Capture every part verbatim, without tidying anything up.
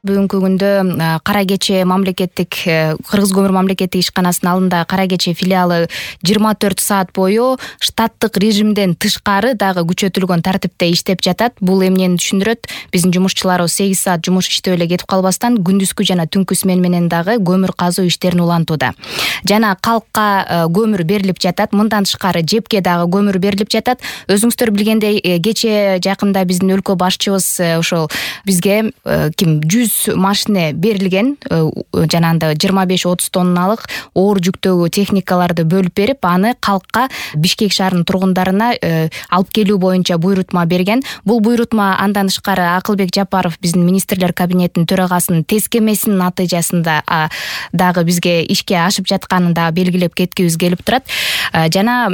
Бүгүнкү күндө Кара Кече мамлекеттик Кыргыз көмүр мамлекеттик ишканасынын алдында Кара Кече филиалы жыйырма төрт саат бою штаттык режимден тышкары дагы күчөтүлгөн тартипте иштеп жатат. Бул эмнени түшүндүрөт? Биздин жумушчуларыбыз сегиз саат жумуш иштеп эле кетип калбастан күндүзгү жана түнкү смен менен дагы көмүр казуу иштерин улантууда. Жана калкка көмүр берилип жатат. Мындан тышкары жепке дагы көмүр берилип жатат. Өзүңүздөр билгендей, кечээ жакында биздин өлкө башчыбыз ошол бизге ким жүз машина берилген, жанагындай жыйырма беш отуз тонналык оор жүктөгү техникаларды бөлүп берип, аны калкка Бишкек шаарынын тургундарына алып келүү боюнча буйрутма берген. Бул буйрутма андан тышкары Акылбек Жапаров биздин министрлер кабинетинин төрагасынын тескемесинин натыйжасында дагы бизге ишке ашып жатканын да белгилеп кеткибиз келип турат. Жана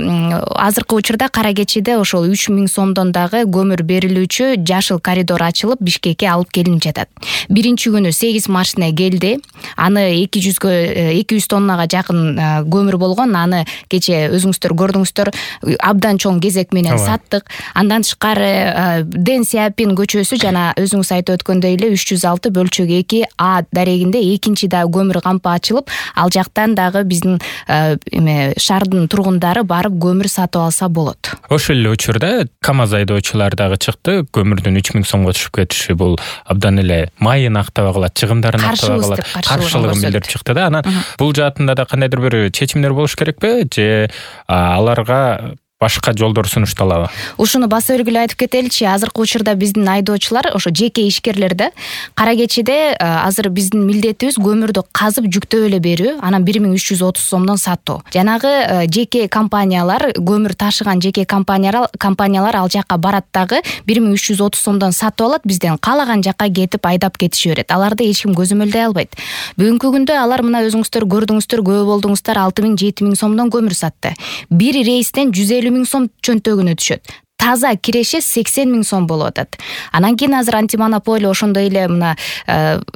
азыркы учурда Кара Кечеде ошол үч миң сомдон дагы көмүр берилүүчү жашыл коридор ачылып Бишкекке алып келинип жатат. Биринчи күнү сегиз машина келди. Аны эки жүзгө эки жүз тоннага жакын көмүр болгон. Аны кече өзүңүздөр көрдүңүздөр, абдан чоң кезек менен саттык. Андан тышкары Дэн Сяопин көчөсү жана өзүңүз айтып өткөндөй эле үч жүз алты бөлчөк эки А дарегинде экинчи дагы көмүр кампы ачылып, ал жактан дагы биздин эме шаардын тургундары барып көмүр сатып алса болот. Ошол эле учурда КАМАЗ айдоочулар дагы чыкты. Көмүрдүн үч миң сомго түшүп кетиши бул абдан эле майын актабай калат, чыгымдарын актабай калат, каршылыгын билдирип чыкты да. Анан бул жаатында да кандайдыр бир чечимдер болуш керекпи же аларга башка жолдор сунушталабы? Ушуну баса белгилеп айтып кетеличи. Азыркы учурда биздин айдоочулар, ошо жеке ишкерлер да Кара Кечеде азыр биздин милдетибиз көмүрдү казып жүктөп эле берүү, анан бир миң үч жүз отуз сомдон сатуу. Жанагы жеке компаниялар, көмүр ташыган жеке компаниялар компаниялар ал жакка барат дагы бир миң үч жүз отуз сомдон сатып алат, бизден каалаган жакка кетип айдап кетише берет. Аларды эч ким көзөмөлдөй албайт. Бүгүнкү күндө алар мына өзүңүздөр көрдүңүздөр, күбө болдуңуздар, алты миң жети миң сомдон көмүр сатты. Бир рейстен жүз элүү миң сом чөнтөгүнө түшөт. Таза киреше сексен миң сом болуп атат. Анан кийин азыр антимонополия, ошондой эле мына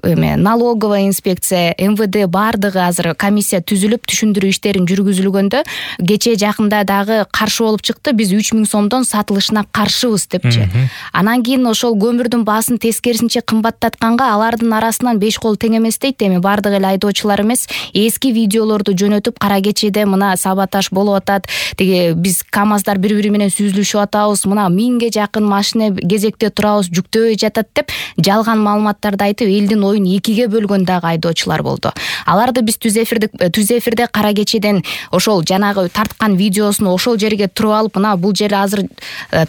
эме налоговая инспекция, эм вэ дэ баардыгы азыр комиссия түзүлүп түшүндүрүү иштерин жүргүзүлгөндө кечээ жакында дагы каршы болуп чыкты. Биз үч миң сомдон сатылышына каршыбыз депчи. Анан кийин ошол көмүрдүн баасын тескерисинче кымбаттатканга алардын арасынан беш кол тең эмес дейт. Эми баардык эле айдоочулар эмес, эски видеолорду жөнөтүп Кара Кечеде мына саботаж болуп атат. Тиги биз КАМАЗдар бири-бири менен сүзүлүшүп атабыз. Мына миңге жакын машина кезекте турабыз, жүктөбөй жатат деп жалган маалыматтарды айтып, элдин оюн экиге бөлгөн дагы айдоочулар болду. Аларды биз түз эфирде түз эфирде Кара Кечеден ошол жанагы тарткан видеосун ошол жерге туруп алып, мына бул жер азыр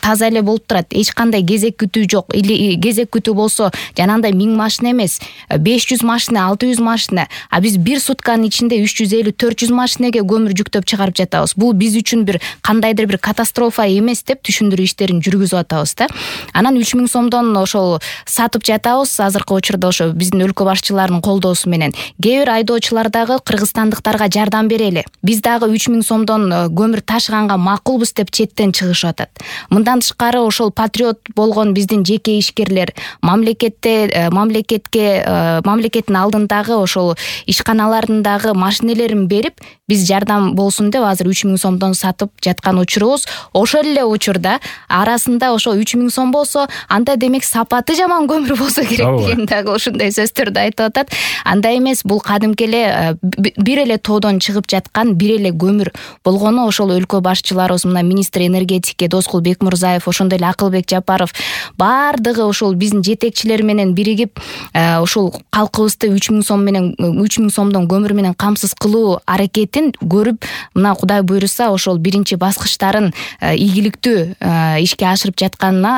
таза эле болуп турат. Эч кандай кезек күтүү жок. Или кезек күтүү болсо, жанагындай миң машина эмес, беш жүз машина, алты жүз машина. А биз бир сутканын ичинде үч жүз элүү төрт жүз машинеге көмүр жүктөп чыгарып жатабыз. Бул биз үчүн бир кандайдыр бир катастрофа эмес деп түшүндүрүү иштерин жүргүзүп атабыз да. Анан үч миң сомдон ошол сатып жатабыз. Азыркы учурда ошо биздин өлкө башчыларынын колдоосу менен кээ бир айдоочулар дагы кыргызстандыктарга жардам берели, биз дагы үч миң сомдон көмүр ташыганга макулбуз деп четтен чыгышып атат. Мындан тышкары ошол патриот болгон биздин жеке ишкерлер мамлекетте мамлекетке мамлекеттин алдындагы ошол ишканалардын дагы машинелерин берип, биз жардам болсун деп азыр үч миң сомдон сатып жаткан учурубуз. Ошол эле учурда арасында ошо үч миң сом болсо, анда демек сапаты жаман көмүр болсо керек деген дагы ушундай сөздөрдү айтып атат. Андай эмес, бул кадимки эле бир эле тоодон чыгып жаткан бир эле көмүр болгону ошол өлкө башчыларыбыз, мына министр энергетики Доскул Бекмурзаев, ошондой эле Акылбек Жапаров баардыгы ошол биздин жетекчилер менен биригип ошол калкыбызды үч миң сом менен үч миң сомдон көмүр менен камсыз кылуу аракетин көрүп, мына Кудай буйруса ошол биринчи баскычтарын ийгиликтүү ишке ашырып жатканына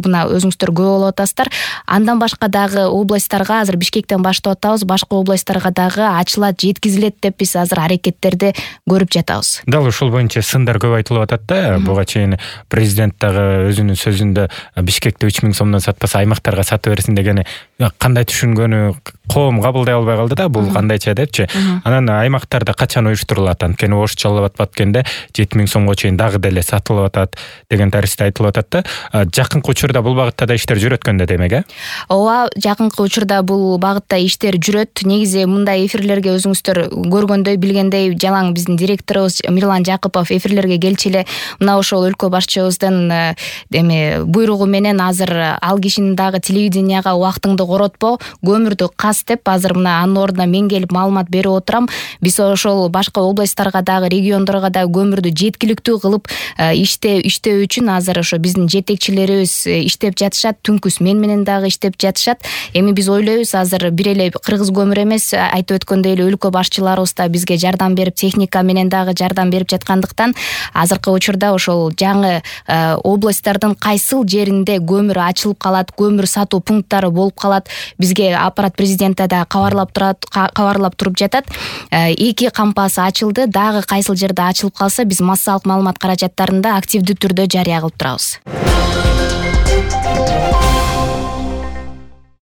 мына өзүңүздөр күбө болуп атасыздар. Андан башка дагы областтарга азыр Бишкектен баштап атабыз, башка областтарга дагы ачылат, жеткизилет деп биз азыр аракеттерди көрүп жатабыз. Дал ушул боюнча сындар көп айтылып атат да. Буга чейин президент дагы өзүнүн сөзүндө Бишкекте үч миң сомдон сатпаса аймактарга сатып берсин дегени кандай түшүнгөнү, коом кабылдай албай калды да, бул кандайча депчи. Анан аймактарда качан уюштурулат, анткени ошчолоп аткенде жети миң сомго чейин дагы деле сатылып атат деген таристе айтылып атат да. Жакынкы учурда бул багытта да иштер жүрөт өткөндө демек, э? Ооба, жакынкы учурда бул багытта иштер жүрөт. Негизи мындай эфирлерге өзүңүздөр көргөндөй, билгендей, жалаң биздин директорубуз Мирлан Жакупов эфирлерге келчү эле мына ошол өлкө башчыбыздын эме буйругу менен азыр ал кишинин дагы телевиденияга убактыңды коротпо, көмүрдү кас деп азыр мына анын ордуна мен келип маалымат берип отурам. Биз ошол башка областтарга дагы, региондорго дагы көмүрдү жеткиликтүү кылып иштөө иштөө үчүн азыр ошо биздин жетекчилерибиз иштеп жатышат. Түнкүс мен менен дагы иштеп жатышат. Эми биз ойлойбуз, азыр бир эле кыргыз көмүр эмес, айтып өткөндөй эле өлкө башчыларыбыз да бизге жардам берип, техника менен дагы жардам берип жаткандыктан азыркы учурда ошол жаңы областтардын кайсыл жеринде көмүр ачылып калат, көмүр сатуу пункттары болуп калат, бизге аппарат президенте да кабарлап турат, кабарлап туруп жатат. Эки кампасы ачылды, дагы кайсыл жерде ачылып калса биз массалык маалымат каражаттарында активдүү түрдө жарыя кылып турабыз.